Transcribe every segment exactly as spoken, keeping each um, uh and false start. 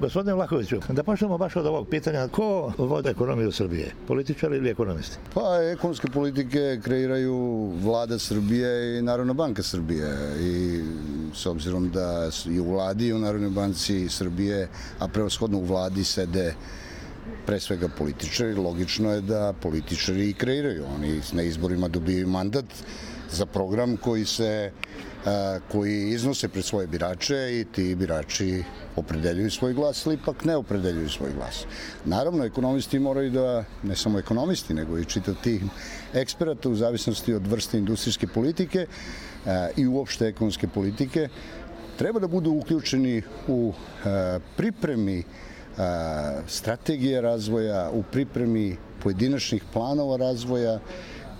Gospodine Vlahoviću, da počnemo baš od ovog pitanja. Ko vode ekonomiju Srbije? Političari ili ekonomisti? Pa, ekonomske politike kreiraju Vlada Srbije i Narodna banka Srbije. I s obzirom da i u Vladi i u Narodnoj banci Srbije, a prevashodno u Vladi sede pre svega političari, logično je da političari i kreiraju. Oni na izborima dobijaju mandat za program koji se koji iznose pred svoje birače i ti birači opredeljuju svoj glas ili ipak ne opredeljuju svoj glas. Naravno, ekonomisti moraju da, ne samo ekonomisti, nego i čitav tim eksperata u zavisnosti od vrste industrijske politike i uopšte ekonomske politike, treba da budu uključeni u pripremi strategije razvoja, u pripremi pojedinačnih planova razvoja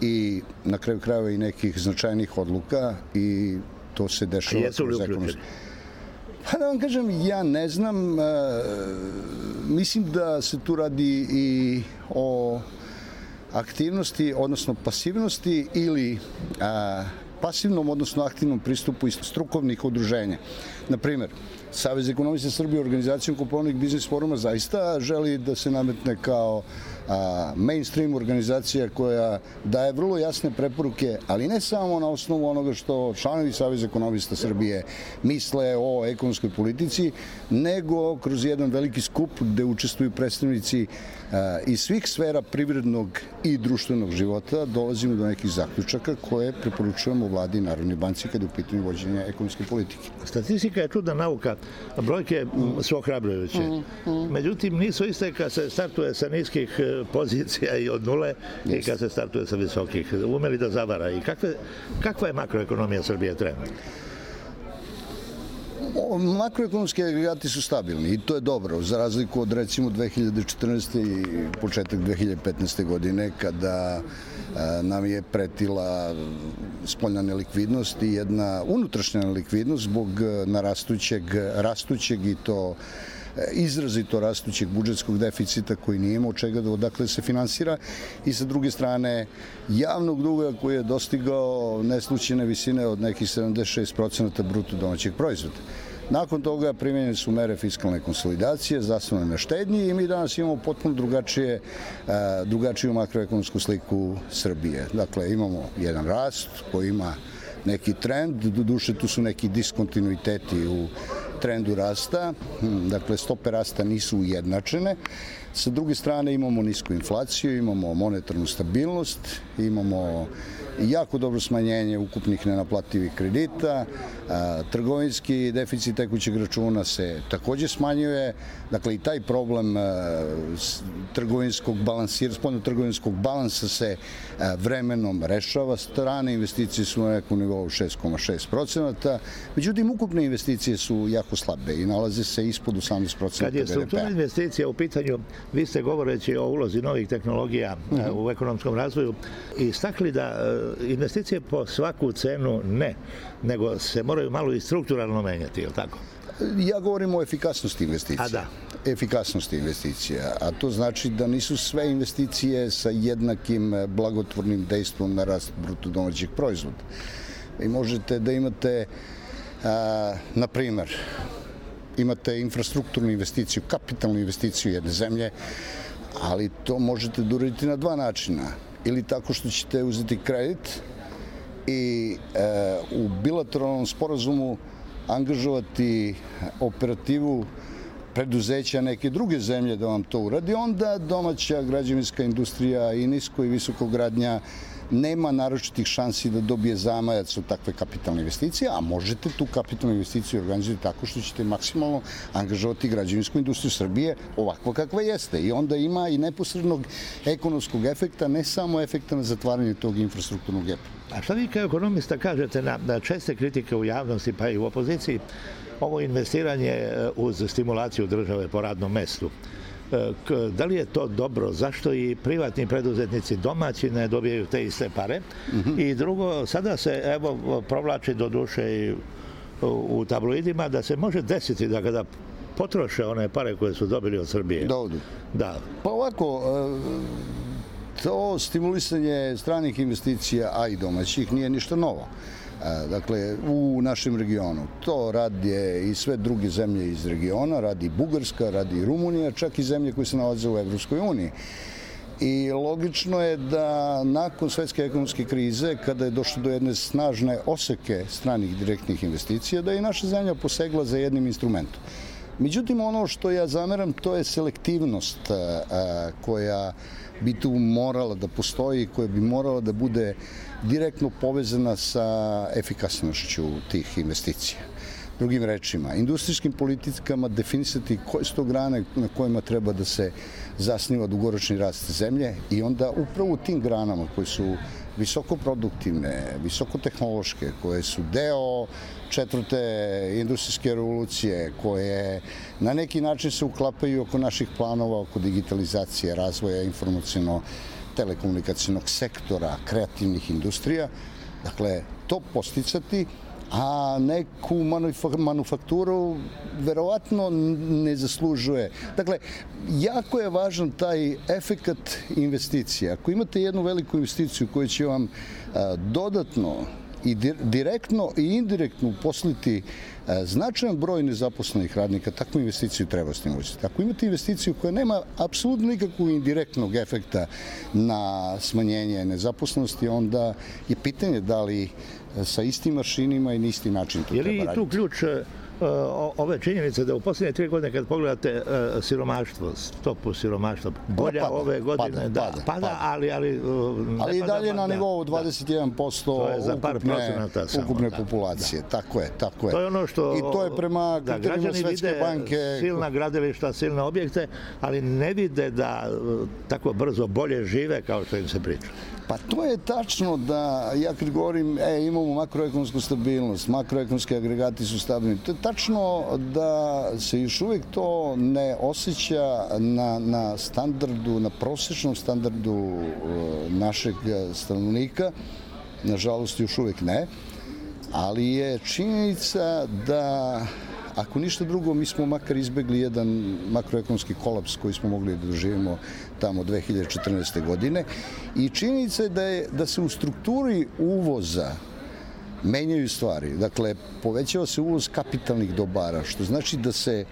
i na kraju krajeva i nekih značajnih odluka i to se dešava kroz ekonomske. Pa da vam kažem, ja ne znam, mislim da se tu radi i o aktivnosti, odnosno pasivnosti ili pasivnom, odnosno aktivnom pristupu iz strukovnih udruženja. Naprimer, Savez ekonomista Srbije organizacijom Kopaonik biznis foruma zaista želi da se nametne kao mainstream organizacija koja daje vrlo jasne preporuke, ali ne samo na osnovu onoga što članovi Saveza ekonomista Srbije misle o ekonomskoj politici, nego kroz jedan veliki skup gde učestvuju predstavnici iz svih sfera privrednog i društvenog života, dolazimo do nekih zaključaka koje preporučujemo Vladi i Narodnoj banci kada je u pitanju vođenja ekonomske politike. Statistika je čudna nauka, brojke su ohrabrujuće. Međutim, nisu iste kad se startuje sa niskih pozicija i od nule i kad se startuje sa visokih. Umeli da zavara. I kakve, kakva je makroekonomija Srbije trenutno? Makroekonomski agregati su stabilni i to je dobro, za razliku od recimo dve hiljade četrnaeste. i početak dve hiljade petnaeste. godine kada nam je pretila spoljna nelikvidnost i jedna unutrašnja nelikvidnost zbog narastućeg, rastućeg i to izrazito rastućeg budžetskog deficita koji nije imao čega da odakle se finansira i sa druge strane javnog duga koji je dostigao neslućene visine od nekih sedamdeset šest procenata bruto domaćeg proizvoda. Nakon toga primenjene su mere fiskalne konsolidacije, zasnovane na štednji i mi danas imamo potpuno drugačije, drugačiju makroekonomsku sliku Srbije. Dakle, imamo jedan rast koji ima neki trend, doduše tu su neki diskontinuiteti u trendu rasta, dakle stope rasta nisu ujednačene. Sa druge strane imamo nisku inflaciju, imamo monetarnu stabilnost, imamo jako dobro smanjenje ukupnih nenaplativih kredita, trgovinski deficit tekućeg računa se takođe smanjuje, dakle i taj problem trgovinskog balansira, spoljno-trgovinskog balansa se vremenom rešava, strane investicije su na nekom nivou šest zarez šest procenata, međutim ukupne investicije su jako slabe i nalaze se ispod osamnaest procenata be de pe a. Kad je strukturna investicija u pitanju, vi ste govoreći o ulozi novih tehnologija u ekonomskom razvoju istakli da investicije po svaku cenu ne, nego se moraju malo i strukturalno menjati, je li tako? Ja govorim o efikasnosti investicija. A da. Efikasnosti investicija, a to znači da nisu sve investicije sa jednakim blagotvornim dejstvom na rast bruto domaćeg proizvoda. Vi možete da imate, a, na primer, imate infrastrukturnu investiciju, kapitalnu investiciju jedne zemlje, ali to možete da uraditi na dva načina. Ili tako što ćete uzeti kredit i e, u bilateralnom sporazumu angažovati operativu preduzeća neke druge zemlje da vam to uradi, onda domaća građevinska industrija i nisko i visoko gradnja nema naročitih šansi da dobije zamajac od takve kapitalne investicije, a možete tu kapitalnu investiciju organizovati tako što ćete maksimalno angažovati građevinsku industriju Srbije ovakva kakva jeste. I onda ima i neposrednog ekonomskog efekta, ne samo efekta na zatvaranje tog infrastrukturnog gepa. A šta vi kao ekonomista kažete na, na česte kritike u javnosti pa i u opoziciji, ovo investiranje uz stimulaciju države po radnom mestu? Da li je to dobro? Zašto i privatni preduzetnici domaći ne dobijaju te iste pare? Mm-hmm. I drugo, sada se evo provlači do duše i u tabloidima da se može desiti da kada potroše one pare koje su dobili od Srbije. Da odu. Da. Pa ovako, to stimulisanje stranih investicija, a i domaćih, nije ništa novo. Dakle, u našem regionu. To radi i sve druge zemlje iz regiona, radi Bugarska, radi Rumunija, čak i zemlje koje se nalaze u Evropskoj uniji. I logično je da nakon svetske ekonomske krize, kada je došlo do jedne snažne oseke stranih direktnih investicija, da je i naša zemlja posegla za jednim instrumentom. Međutim, ono što ja zameram, to je selektivnost koja bi tu morala da postoji, koja bi morala da bude direktno povezana sa efikasnošću tih investicija. Drugim rečima, industrijskim politikama definisati koje su to grane na kojima treba da se zasniva dugoročni rast zemlje i onda upravo u tim granama koje su visokoproduktivne, visokotehnološke, koje su deo četvrte industrijske revolucije, koje na neki način se uklapaju oko naših planova, oko digitalizacije, razvoja informaciono-telekomunikacijnog sektora, kreativnih industrija. Dakle, to posticati, a neku manufakturu verovatno ne zaslužuje. Dakle, jako je važan taj efekat investicija. Ako imate jednu veliku investiciju koja će vam dodatno i direktno i indirektno uposliti značajan broj nezaposlenih radnika, takvu investiciju treba stimulisati. Ako imate investiciju koja nema apsolutno nikakvog indirektnog efekta na smanjenje nezaposlenosti, onda je pitanje da li sa istim mašinima i na isti način to treba raditi. Je li tu ključ ove činjenice da u posljednje tri godine kad pogledate siromaštvo, stopu siromaštva, bolja ove godine, da, pada, ali... Ali i dalje na nivou dvadeset jedan posto ukupne populacije. Tako je, tako je. To je ono što... I to je prema kriterijima Svetske banke... Silna gradilišta, silne objekte, ali ne vide da tako brzo bolje žive kao što im se priča. Pa to je tačno da, ja kad govorim, e, imamo makroekonomsku stabilnost, makroekonomski agregati su stabilni, to je tačno da se još uvijek to ne osjeća na, na standardu, na prosječnom standardu našeg stanovnika, nažalost još uvijek ne, ali je činjenica da ako ništa drugo, mi smo makar izbegli jedan makroekonomski kolaps koji smo mogli da doživimo tamo dve hiljade četrnaeste. godine i činjenica je da, je da se u strukturi uvoza menjaju stvari. Dakle, povećava se uvoz kapitalnih dobara, što znači da se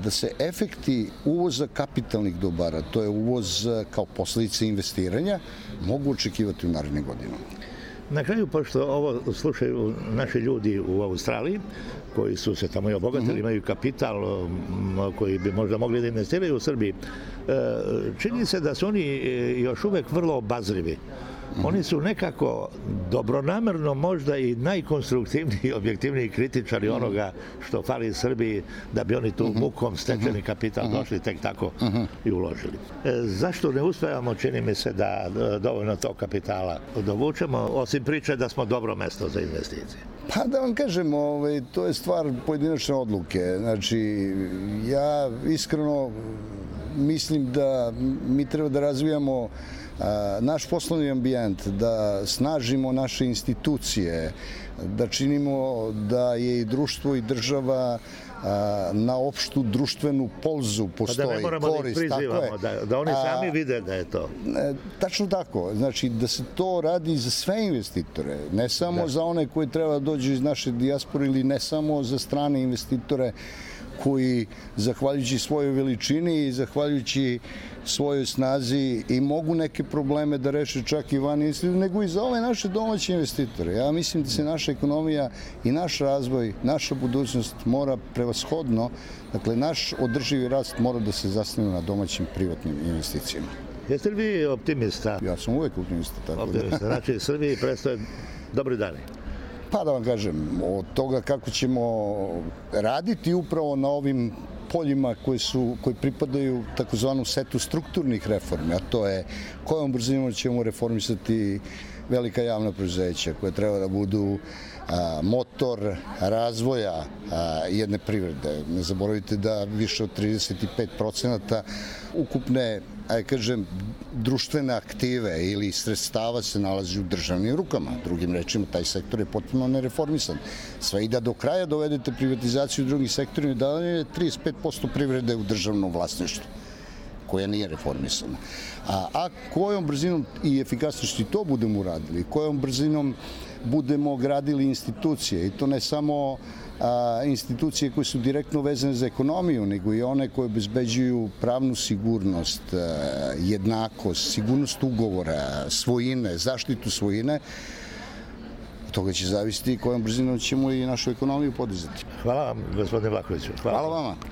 da se efekti uvoza kapitalnih dobara, to je uvoz kao posljedica investiranja, mogu očekivati u narednim godinama. Na kraju, pošto ovo slušaju naši ljudi u Australiji, koji su se tamo i obogatili, imaju kapital koji bi možda mogli da investiraju u Srbiji, čini se da su oni još uvek vrlo obazrivi. Oni su nekako dobronamerno možda i najkonstruktivniji i objektivniji kritičari onoga što fali Srbiji da bi oni tu mukom stečeni kapital došli tek tako i uložili. Zašto ne uspevamo, čini mi se, da dovoljno tog kapitala dovučemo, osim priče da smo dobro mesto za investicije? Pa da vam kažem, ovaj, to je stvar pojedinačne odluke. Znači, ja iskreno mislim da mi treba da razvijamo naš poslovni ambijent, da snažimo naše institucije, da činimo da je i društvo i država na opštu društvenu polzu postoji korist. Pa da ne moramo da ih prizivamo, da, da oni sami vide da je to. Tačno tako. Znači da se to radi za sve investitore, ne samo da. Za one koji treba da dođu iz naše dijaspore ili ne samo za strane investitore koji, zahvaljujući svojoj veličini i zahvaljujući svojoj snazi i mogu neke probleme da reše čak i van investitora, nego i za ove naše domaće investitore. Ja mislim da se naša ekonomija i naš razvoj, naša budućnost mora prevashodno, dakle naš održivi rast mora da se zasniva na domaćim privatnim investicijama. Jeste li vi optimista? Ja sam uvek optimista. Tako optimista, da. Znači Srbiji predstoje dobri dani. Pa da vam kažem, od toga kako ćemo raditi upravo na ovim poljima koji, su, koji pripadaju takozvanom setu strukturnih reformi, a to je kojom brzinom ćemo reformisati velika javna preduzeća koja treba da budu a, motor razvoja a, jedne privrede. Ne zaboravite da više od trideset pet procenata ukupne, aj kažem, društvene aktive ili sredstava se nalazi u državnim rukama. Drugim rečima, taj sektor je potpuno nereformisan. Sve i da do kraja dovedete privatizaciju drugih sektora i da je trideset pet posto privrede u državnom vlasništvu. koja nije reformisana. A, a kojom brzinom i efikasnošću to budemo uradili, kojom brzinom budemo gradili institucije, i to ne samo a, institucije koje su direktno vezane za ekonomiju, nego i one koje obezbeđuju pravnu sigurnost, a, jednakost, sigurnost ugovora, svojine, zaštitu svojine. Od toga će zavisiti kojom brzinom ćemo i našu ekonomiju podizati. Hvala vam, gospodine Vlahoviću. Hvala vama.